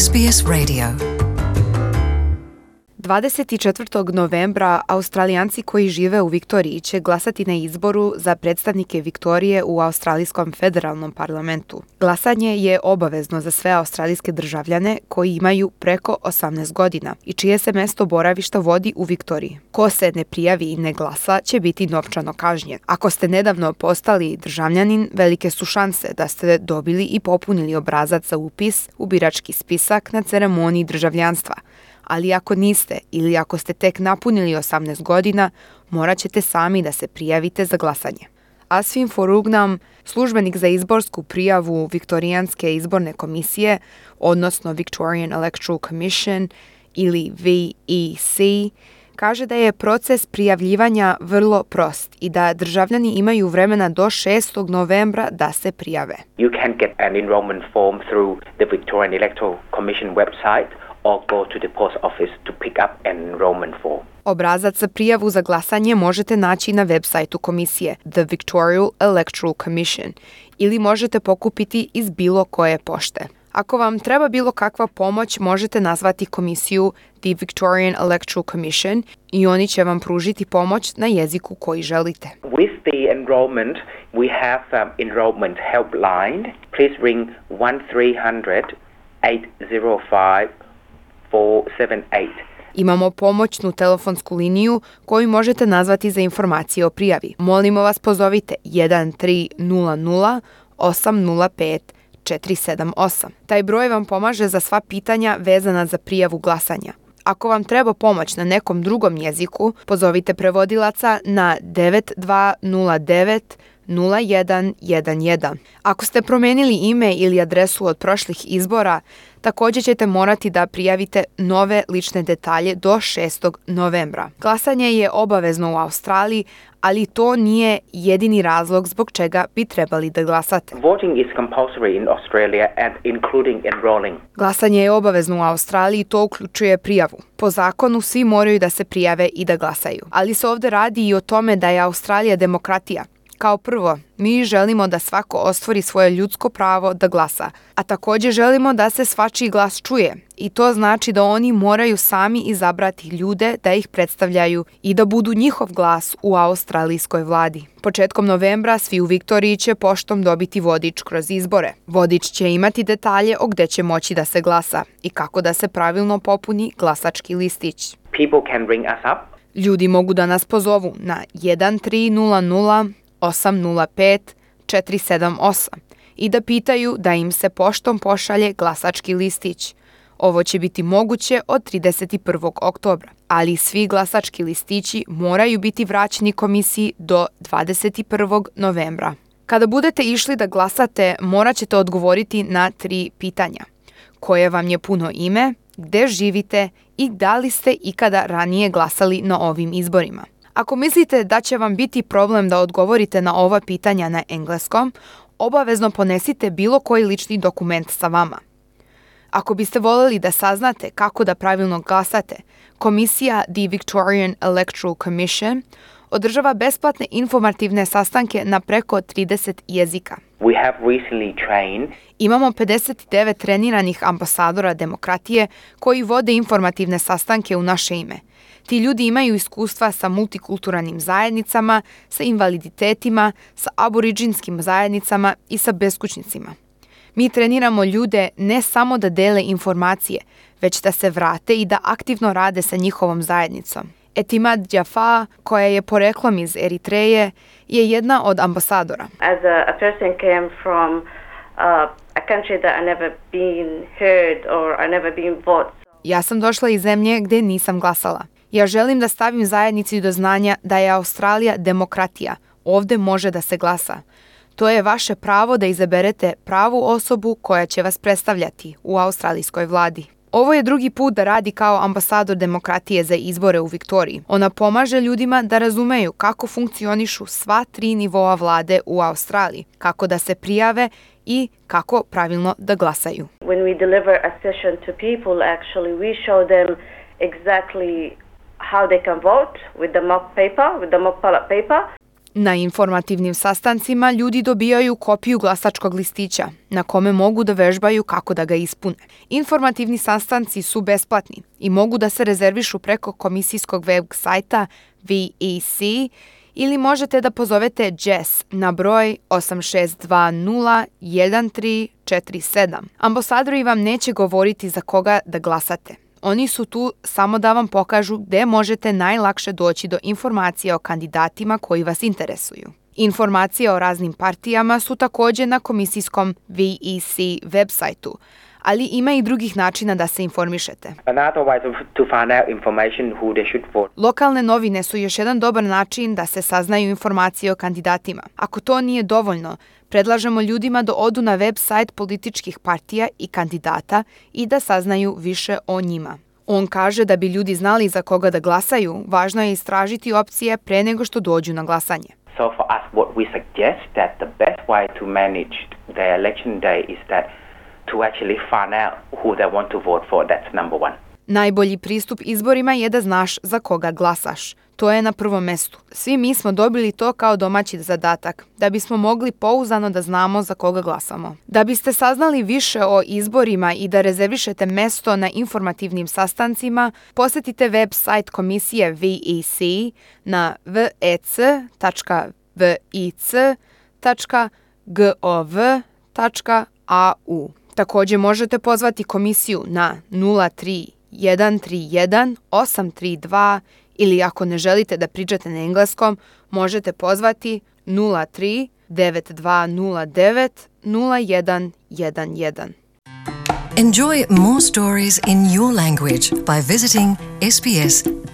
SBS Radio. 24. novembra Australijanci koji žive u Viktoriji će glasati na izboru za predstavnike Viktorije u Australijskom federalnom parlamentu. Glasanje je obavezno za sve australijske državljane koji imaju preko 18 godina i čije se mesto boravišta vodi u Viktoriji. Ko se ne prijavi i ne glasa će biti novčano kažnjen. Ako ste nedavno postali državljanin, velike su šanse da ste dobili i popunili obrazac za upis u birački spisak na ceremoniji državljanstva. Ali ako niste ili ako ste tek napunili 18 godina, morat ćete sami da se prijavite za glasanje. Asfin Forugnam, službenik za izborsku prijavu Viktorijanske izborne komisije, odnosno Victorian Electoral Commission ili VEC, kaže da je proces prijavljivanja vrlo prost i da državljani imaju vremena do 6. novembra da se prijave. You can get an enrollment form through the Victorian Electoral Commission website or go to the post office to pick up an enrollment form. Obrazac za prijavu za glasanje možete naći na web sajtu komisije The Victorian Electoral Commission ili možete pokupiti iz bilo koje pošte. Ako vam treba bilo kakva pomoć, možete nazvati komisiju The Victorian Electoral Commission i oni će vam pružiti pomoć na jeziku koji želite. With the enrollment, we have enrollment helpline. Please ring 1300 805 478. Imamo pomoćnu telefonsku liniju koju možete nazvati za informacije o prijavi. Molimo vas, pozovite 1300 805 478. Taj broj vam pomaže za sva pitanja vezana za prijavu glasanja. Ako vam treba pomoć na nekom drugom jeziku, pozovite prevodilaca na 9209 0111. Ako ste promenili ime ili adresu od prošlih izbora, također ćete morati da prijavite nove lične detalje do 6. novembra. Glasanje je obavezno u Australiji, ali to nije jedini razlog zbog čega bi trebali da glasate. Voting is compulsory in Australia and including enrolling. Glasanje je obavezno u Australiji, to uključuje prijavu. Po zakonu svi moraju da se prijave i da glasaju. Ali se ovdje radi i o tome da je Australija demokratija. Kao prvo, mi želimo da svako ostvari svoje ljudsko pravo da glasa, a također želimo da se svačiji glas čuje i to znači da oni moraju sami izabrati ljude da ih predstavljaju i da budu njihov glas u australijskoj vladi. Početkom novembra svi u Viktoriji će poštom dobiti vodič kroz izbore. Vodič će imati detalje o gde će moći da se glasa i kako da se pravilno popuni glasački listić. People can ring us up. Ljudi mogu da nas pozovu na 1300 805 478 i da pitaju da im se poštom pošalje glasački listić. Ovo će biti moguće od 31. oktobra, ali svi glasački listići moraju biti vraćeni komisiji do 21. novembra. Kada budete išli da glasate, morat ćete odgovoriti na 3 pitanja. Koje vam je puno ime, gde živite i da li ste ikada ranije glasali na ovim izborima. Ako mislite da će vam biti problem da odgovorite na ova pitanja na engleskom, obavezno ponesite bilo koji lični dokument sa vama. Ako biste voljeli da saznate kako da pravilno glasate, komisija The Victorian Electoral Commission održava besplatne informativne sastanke na preko 30 jezika. We have recently trained. Imamo 59 treniranih ambasadora demokratije koji vode informativne sastanke u naše ime. Ti ljudi imaju iskustva sa multikulturalnim zajednicama, sa invaliditetima, sa aboriđinskim zajednicama i sa beskućnicima. Mi treniramo ljude ne samo da dele informacije, već da se vrate i da aktivno rade sa njihovom zajednicom. Etimad Djafa, koja je poreklom iz Eritreje, je jedna od ambasadora. As a person came from a country that I never been heard or I never been voted. Ja sam došla iz zemlje gdje nisam glasala. Ja želim da stavim zajednici do znanja da je Australija demokratija. Ovdje može da se glasa. To je vaše pravo da izaberete pravu osobu koja će vas predstavljati u australijskoj vladi. Ovo je drugi put da radi kao ambasador demokratije za izbore u Viktoriji. Ona pomaže ljudima da razumeju kako funkcionišu sva 3 nivoa vlade u Australiji, kako da se prijave i kako pravilno da glasaju. When we deliver a session to people, actually we show them exactly how they can vote with the mock paper, with the mock ballot paper. Na informativnim sastancima ljudi dobijaju kopiju glasačkog listića na kome mogu da vežbaju kako da ga ispune. Informativni sastanci su besplatni i mogu da se rezervišu preko komisijskog web sajta VEC ili možete da pozovete Jess na broj 86201347. Ambasadori vam neće govoriti za koga da glasate. Oni su tu samo da vam pokažu gde možete najlakše doći do informacija o kandidatima koji vas interesuju. Informacije o raznim partijama su također na komisijskom VEC websajtu, ali ima i drugih načina da se informišete. Lokalne novine su još jedan dobar način da se saznaju informacije o kandidatima. Ako to nije dovoljno, predlažemo ljudima da odu na web sajt političkih partija i kandidata i da saznaju više o njima. On kaže da bi ljudi znali za koga da glasaju, važno je istražiti opcije pre nego što dođu na glasanje. So for us, what we suggest that the best way to manage the election day is that to actually find out who they want to vote for. That's number one. Najbolji pristup izborima je da znaš za koga glasaš. To je na prvom mestu. Svi mi smo dobili to kao domaći zadatak, da bismo mogli pouzdano da znamo za koga glasamo. Da biste saznali više o izborima i da rezervišete mesto na informativnim sastancima, posetite web sajt komisije VEC na vec.vic.gov.au. Također možete pozvati komisiju na 03-131 832 ili ako ne želite da pričate na engleskom, možete pozvati 03-9209-0111. Enjoy more stories in your language by visiting sbs.com.au.